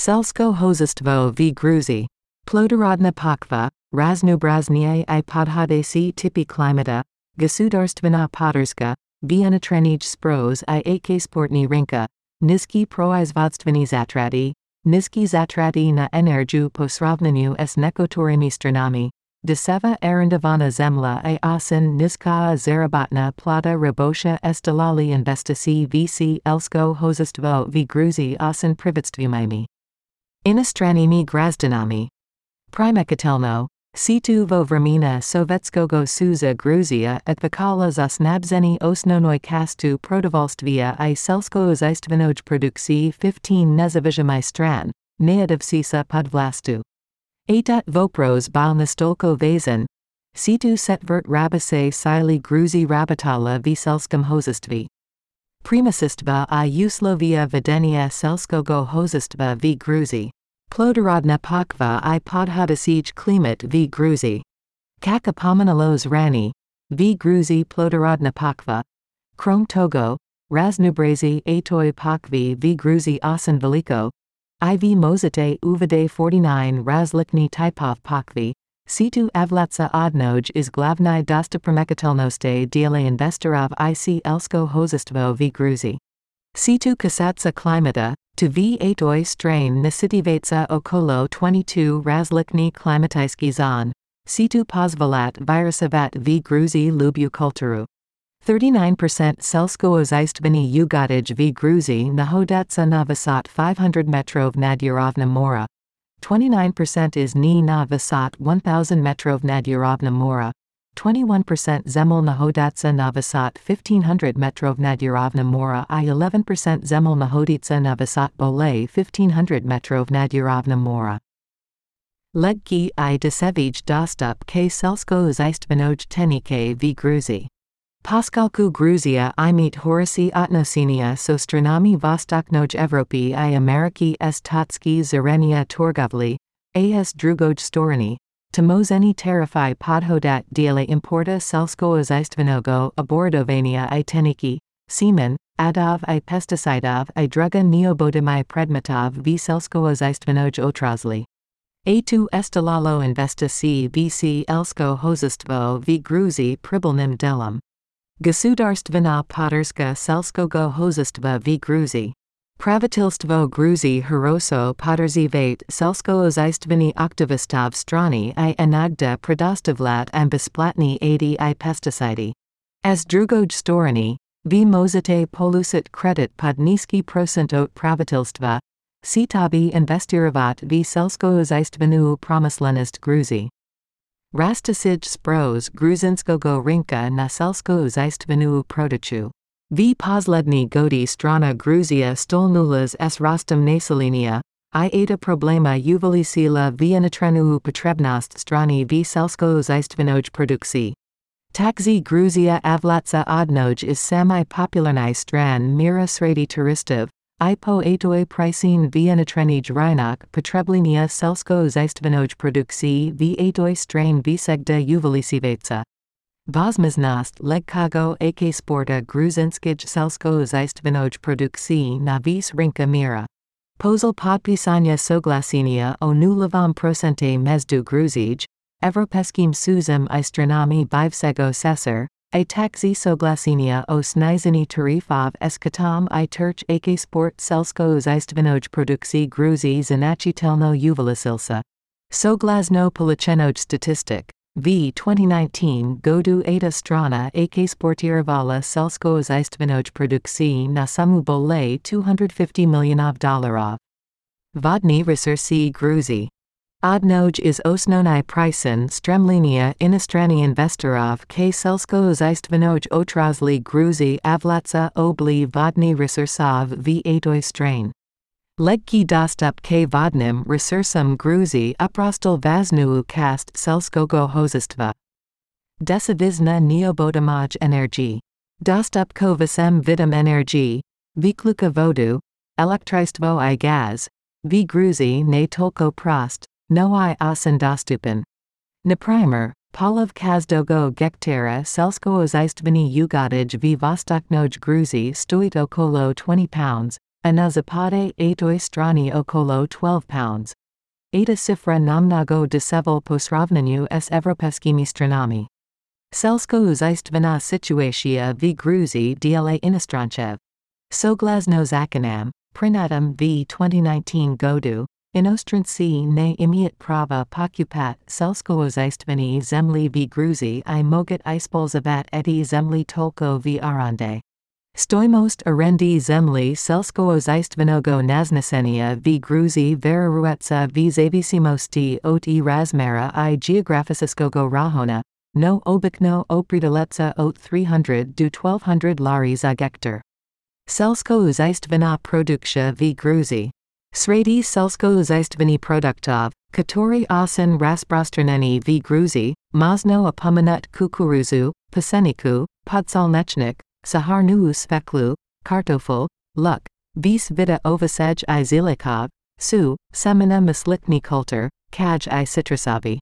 Selsko hozestvo v Gruzi. Plodorodna pakva, raznobraznie I podhodací typy klimata, gasudarstvena podorska, vienatrenij spros I ak sportní rinka, nizki proizvodstvení zatraty, nizki zatraty na energiu po srovnaniu s nekotorými stranami, deseva arendovaná zemla I asin nizká zarobotná plata rabosha estalali investicí vc elsko hozestvo v Gruzi asin privatstvumimi. Inostranými grazdanami. Primekatelno, situ vo vremena sovetskogo suza Gruzia etvakala zasnabzeni osnonoj kastu protovolstvia I selskoozistvenoj produkcji 15 nezavižamai stran, neadavsisa podvlastu. Atat vopros bal nastolko vezan, situ setvert rabase sili Gruzi rabatala v selskom hozestvi. Primasistva I uslovia vedenia selskogo hozestva v Gruzi. Plodorodna pakva I podhodasij klimat v Gruzi. Kaka pomenalos rani, v Gruzi plodorodna pakva. Krom togo, raznubrazi atoj pakvi v Gruzi asin veliko. IV mozite uvide 49 razlikni typov pakvi. Situ avlatsa odnoj is glavni dostopremekatelnosti diele investorov IC elsko hozestvo v Gruzi. Situ kasatsa klimata, to v atoj strain nasitivatsa okolo 22 razlikni klimatijski zon. Situ pozvolat virusavat v Gruzi lubiu kulturu. 39% selskoozistveni ugodij v Gruzi nahodatsa na visot 500 metrov nad Urovna mora. 29% is ni na visot 1000 metrov nad Urovna mora. 21% zemel nahodatsa na visot 1500 metrov nad Urovna mora I 11% zemel nahoditsa na visot bolay 1500 metrov nad Urovna mora. Legki I desevij dostup k selskoozistvenoj tenike v Gruzi. Paskalku Gruzia I meet Horasi Otnosinia so stranami Vostoknoj Evropi I Ameriki s Totski Zarenia Torgovli, as Drugoj Storani, Tomozeni Tarifi Podhodat diele importa selskoozistvenogo Aborodovania I teniki, semen, adov I pesticidov I druga neobodimi predmetov v selskoozistvenoj otrasli. A2 estalalo investici vc elsko hozestvo v Gruzi pribilnim delum. Gasudarstvena podorska selskogo hozestva v Gruzi. Pravitilstvo Gruzi Heroso podrzivate selskoozistveni aktivistov strani I inagda predostavlat and besplatni adi I pesticidi. As drugoj storani, v mozite polusit kredit pod niski procentot pravitilstva, sitabi investirovat v selskoozistvenu promyslenist Gruzi. Rastasij spros Gruzinskogo rinka na selskoozistvenu protochu. V poslední godi strana Gruzia stolnulas s rostem naselenia, I ada problema uvelisila vienatrenu potrebnost strany v selskoozistvenoj produkcji. Takzi Gruzia avlatsa odnoj is sami popularni stran mira sredi turistov, I po atoj pricin vienatrenij rynok potreblenia selskoozistvenoj produkcji v atoj strain visegda uvelisivatsa. Vozmaznost legkago ak sporta Gruzinskij selskoozistvenoj produkcji na vis rinka mira. Pozl podpisania soglasenia o nulovom procente mezdu Gruzij, Evropeskim suzem I stranami bivsego sesar, I taxi soglasenia o snizeni tarifov eskatom I turch ak sport selskoozistvenoj produkcji Gruzi zanachitelno uvelisilsa. Soglasno polichenoj statistic. V 2019 godu ada strana ak sportiravala selskoozistvenoj produkcji na sumu bolay $250 milionov. Vodni resursi Gruzi. Odnoj is osnonai pricen stremlenia inostrani investorov k selskoozistvenoj otrasli Gruzi avlatsa obli vodni resursov v atoj strain. Legki dostup k vodnim resursum Gruzi uprostel vaznu kast selskogo hozestva. Desavizna neobodamaj energy. Dostup ko visem vidum energy, vikluka vodu, elektristvo I gaz, v Gruzi ne tolko prost, no I asin dostupen. Naprimer, Polov Kazdogo Gektara selskoozistveni ugodij v Vostoknoj Gruzi stoit okolo £20, Anazapade 8 strani okolo 12 pounds. Eta cifra namnago desevel posravneniu s evropeskimi stranami. Selsko uzajstvena situacija v Gruziji dla inostrancev. Soglasno zakonam, prinatum v 2019 godu, inostranci ne imiet prava pokupat selsko uzajstveni zemli v Gruziji I mogat ispolzavat eti zemli tolko v arande. Stoimost arendi zemli selsko uzajstvenogo naznesenia v Gruziji veraruetsa v zavisimosti ot I razmera I geografisiskogo rahona, no obikno opridaletsa ot 300 do 1200 lari za gektar. Selsko uzajstvena produkcja v Gruziji. Sredi selsko uzajstveni produktov, katori osen rasprostraneni v Gruziji, mazno apominut kukuruzu, paseniku, podsolnechnik, saharnu speklu, kartofel, luk, vis vida ovasej I zilikov, su, semena maslikni kultur, kaj I citrusovi.